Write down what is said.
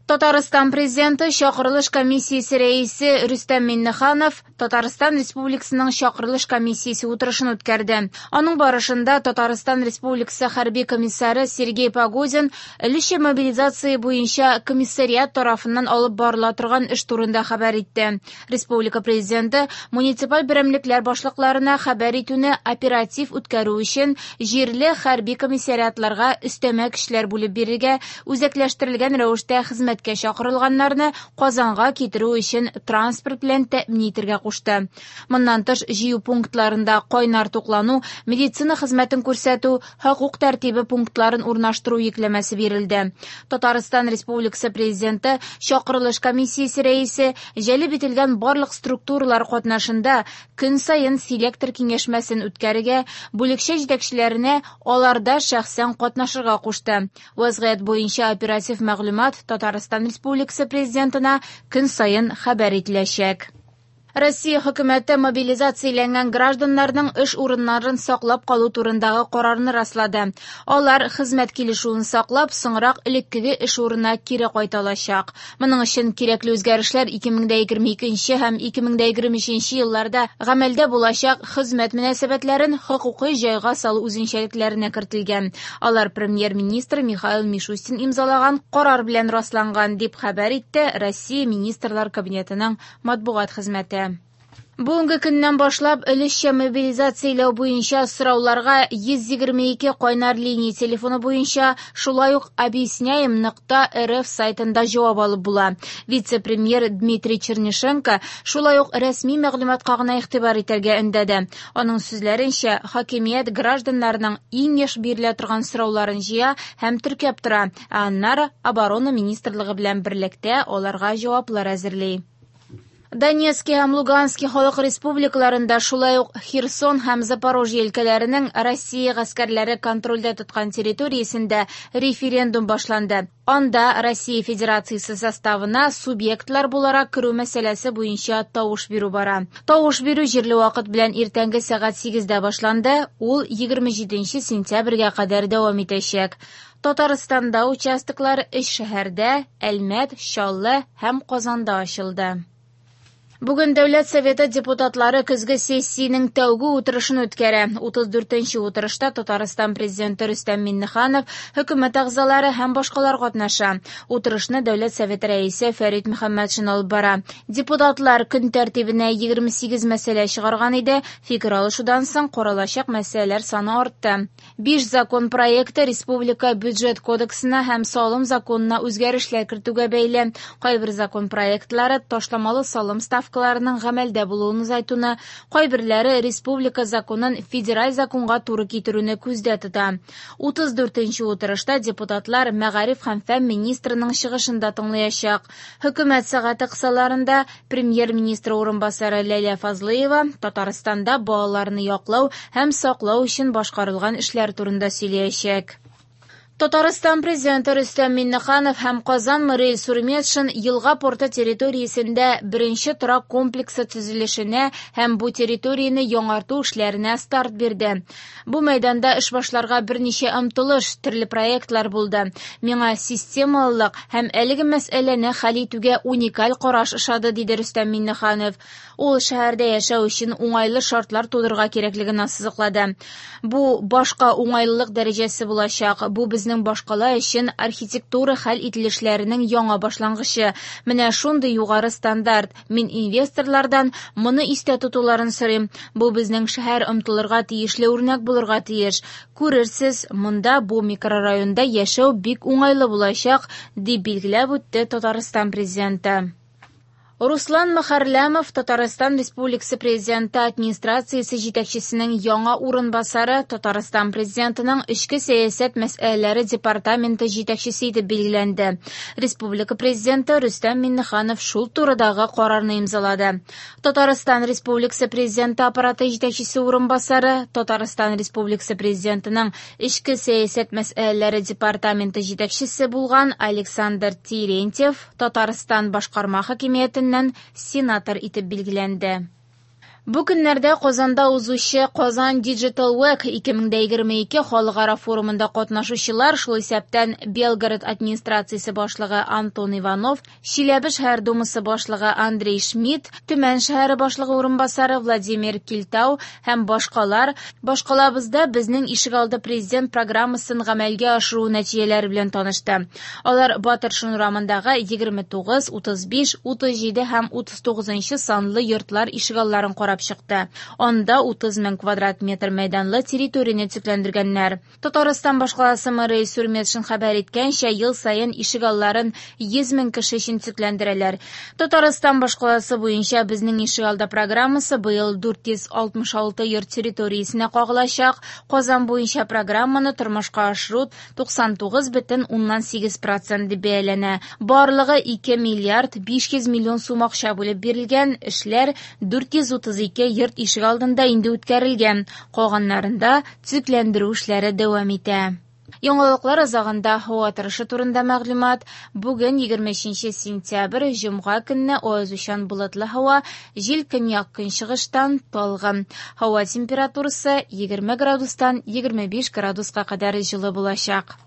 Татарстан Президенты чакырылыш комиссиясе рәисе Рөстәм Миңнеханов Татарстан Республикасының чакырылыш комиссиясе утырышын үткәрде. Аның барышында Татарстан Республикасы хәрби комиссары Сергей Погодин өлешчә мобилизация буенча комиссариат тарафыннан алып барыла торган эш турында хәбәр итте. Республика Президенты муниципаль берәмлекләр башлыкларына хәбәр итүне оператив үткәрү өчен җирле хәрби комиссариатларга өстәмә көчләр бүлеп бирергә, үзәкләштерелгән рәвештә хезмәткә чакырылганнарны Казанга китерү өчен транспорт белән тәэмин итәргә кушты. Моннан тыш, җыю пунктларында кайнар туклану, медицина хезмәтен күрсәтү, хокук тәртибе пунктларын урнаштыру йөкләмәсе бирелде. Татарстан Республикасы Президенты чакырылыш комиссиясе рәисе җәлеп ителгән барлык структуралар катнашында көн саен селектор киңәшмәсен үткәрергә, бүлекчә җитәкчеләренә аларда шәхсән катнашырга кушты. Вазгыять буенча оператив мәгълүмат Татарстан Республикасы Президентына көн саен хәбәр ителәчәк. Россия хөкүмәте мобилизацияләнгән гражданнарның эш урыннарын саклап калу турындагы карарны раслады. Алар хезмәт килешүен саклап, соңрак элеккеге эш урынына кире кайта алачак. Моның өчен кирәкле үзгәрешләр 2022 һәм 2023 елларда гамәлдә булачак хезмәт мөнәсәбәтләрен хокукый җайга салу үзенчәлекләренә кертелгән. Алар премьер-министр Михаил Мишустин имзалаган карар белән расланган, дип хәбәр итте Россия Министрлар Кабинетының матбугат хезмәте. Бүгенге көннән башлап өлешчә мобилизацияләү буенча сорауларга 122 кайнар линия телефоны буенча, шулай ук объясняем.рф сайтында җавап алып була. Вице-премьер Дмитрий Чернышенко шулай ук рәсми мәгълүматка гына игътибар итәргә өндәде. Аның сүзләренчә, хакимият гражданнарның иң еш бирелә торган сорауларын җыя һәм теркәп тора, ә аннары Оборона министрлыгы белән берлектә аларга җаваплар әзерли. Донецки һәм Лугански халык республикаларында, шулай ук Херсон һәм Запорожье өлкәләренең Россия гаскәрләре контрольдә тоткан территориясендә референдум башланды. Анда Россия Федерациясе составына субъектлар буларак керү мәсьәләсе буенча тавыш бирү бара. Тавыш бирү җирле вакыт белән иртәнге сәгать 8дә башланды, ул 27 сентябрьгә кадәр дәвам итәчәк. Татарстанда участоклар өч шәһәрдә Әлмәт, Чаллы һәм Казанда ачылды. Бүген Дәүләт Советы депутатлары көзге сессиянең тәүге утырышын үткәрә. 34нче утырышта Татарстан Президенты Рөстәм Миңнеханов, хөкүмәт әгъзалары һәм башкалар катнаша. Утырышны Дәүләт Советы рәисе Фәрит Мөхәммәтшин алып бара. Депутатлар көн тәртибенә 28 мәсьәлә чыгарган иде. Фикер алышудан соң каралачак мәсьәләләр саны артты. 5 закон проекты республика бюджет кодексына һәм салым законына үзгәрешләр кертүгә бәйле. Кайбер закон проектлары ташламалы салым ставкаларының гамәлдә булуын озайтуны, кайберләре республика законын федераль законга туры китерүне күздә тота. 34нче утырышта депутатлар мәгариф һәм фән министрының чыгышын да тыңлаячак. Хөкүмәт сәгате кысаларында премьер-министр урынбасары Ләйлә Фазлыева Татарстанда балаларны яклау һәм саклау өчен башкарылган эшләр турында сөйләячәк. Татарстан Президенты Рөстәм Миңнеханов һәм Казан мэры Илсур Метшин Елга порты территориясендә беренче торак комплексы төзелешенә һәм бу территорияне яңарту эшләренә старт бирде. Бу мәйданда эш башларга берничә омтылыш, төрле проектлар булды. Миңа системалылык һәм әлеге мәсьәләне хәл итүгә уникаль караш ошады, диде Рөстәм Миңнеханов. Ул шәһәрдә яшәү өчен уңайлы шартлар тудырырга кирәклеген ассызыклады. Бу башка уңайлылык дәрәҗәсе булачак. Бу безнең башкала өчен архитектура хәл ителешләренең яңа башлангычы. Менә шундый югары стандарт. Мин инвесторлардан моны истә тотуларын сорыйм. Бу безнең шәһәр омтылырга тиешле үрнәк булырга тиеш. Күрерсез, монда бу микрорайонда яшәү бик уңайлы булачак, дип билгеләп үтте Татарстан Президенты. Руслан Мөхәрләмов Татарстан Республикасы Президенты администрациясе җитәкчесенең яңа урынбасары, Татарстан Президентының эчке сәясәт мәсьәләләре департаменты җитәкчесе итеп билгеләнде. Республика Президенты Рөстәм Миңнеханов шул турыдагы карарны имзалады. Татарстан Республикасы Президенты аппараты җитәкчесе урынбасары, Татарстан Республикасы Президентының эчке сәясәт мәсьәләләре департаменты җитәкчесе булган Александр Терентьев Татарстан башкарма хакимиятеннән сенатор итеп билгеләнде. Бу көннәрдә Казанда узучы Казан Digital Week 2022 халыкара форумында катнашучылар, шул исәптән Белгород администрациясе башлыгы Антон Иванов, Чиләбе шәһәр думасы башлыгы Андрей Шмидт, Төмән шәһәре башлыгы урынбасары Владимир Кильтау һәм башкалар башкалабызда Безнең ишегалды президент программасын гамәлгә ашыру нәтиҗәләре белән танышты. Алар Батыршин урамындагы 29, 35, 37 һәм 39 санлы йортлар ишегалларын карап чыкты. Анда 30 мең квадрат метр мәйданлы территорияне төзекләндергәннәр. Татарстан башкаласы мэры Илсур Метшин хәбәр иткәнчә, ел саен ишегалларын 100 мең кеше өчен төзекләндерәләр. Татарстан башкаласы буенча Безнең ишегалды программасы быел 466 йорт территориясенә кагылачак. Казан буенча программаны тормышка ашыру 99,8 процент дип бәяләнә. Барлыгы 2 миллиард 500 миллион сум акча бүлеп бирелгән, эшләр 432 йорт ишегалдында инде үткәрелгән, калганнарында төзекләндерү эшләре дәвам итә. Яңалыклар азагында һава торышы турында мәгълүмат. Бүген 23 сентябрь, җомга көнне аязучан болытлы һава, җил көньяк-көнчыгыштан талгын. Һава температурасы 20 градустан 25 градуска кадәр җылы булачак.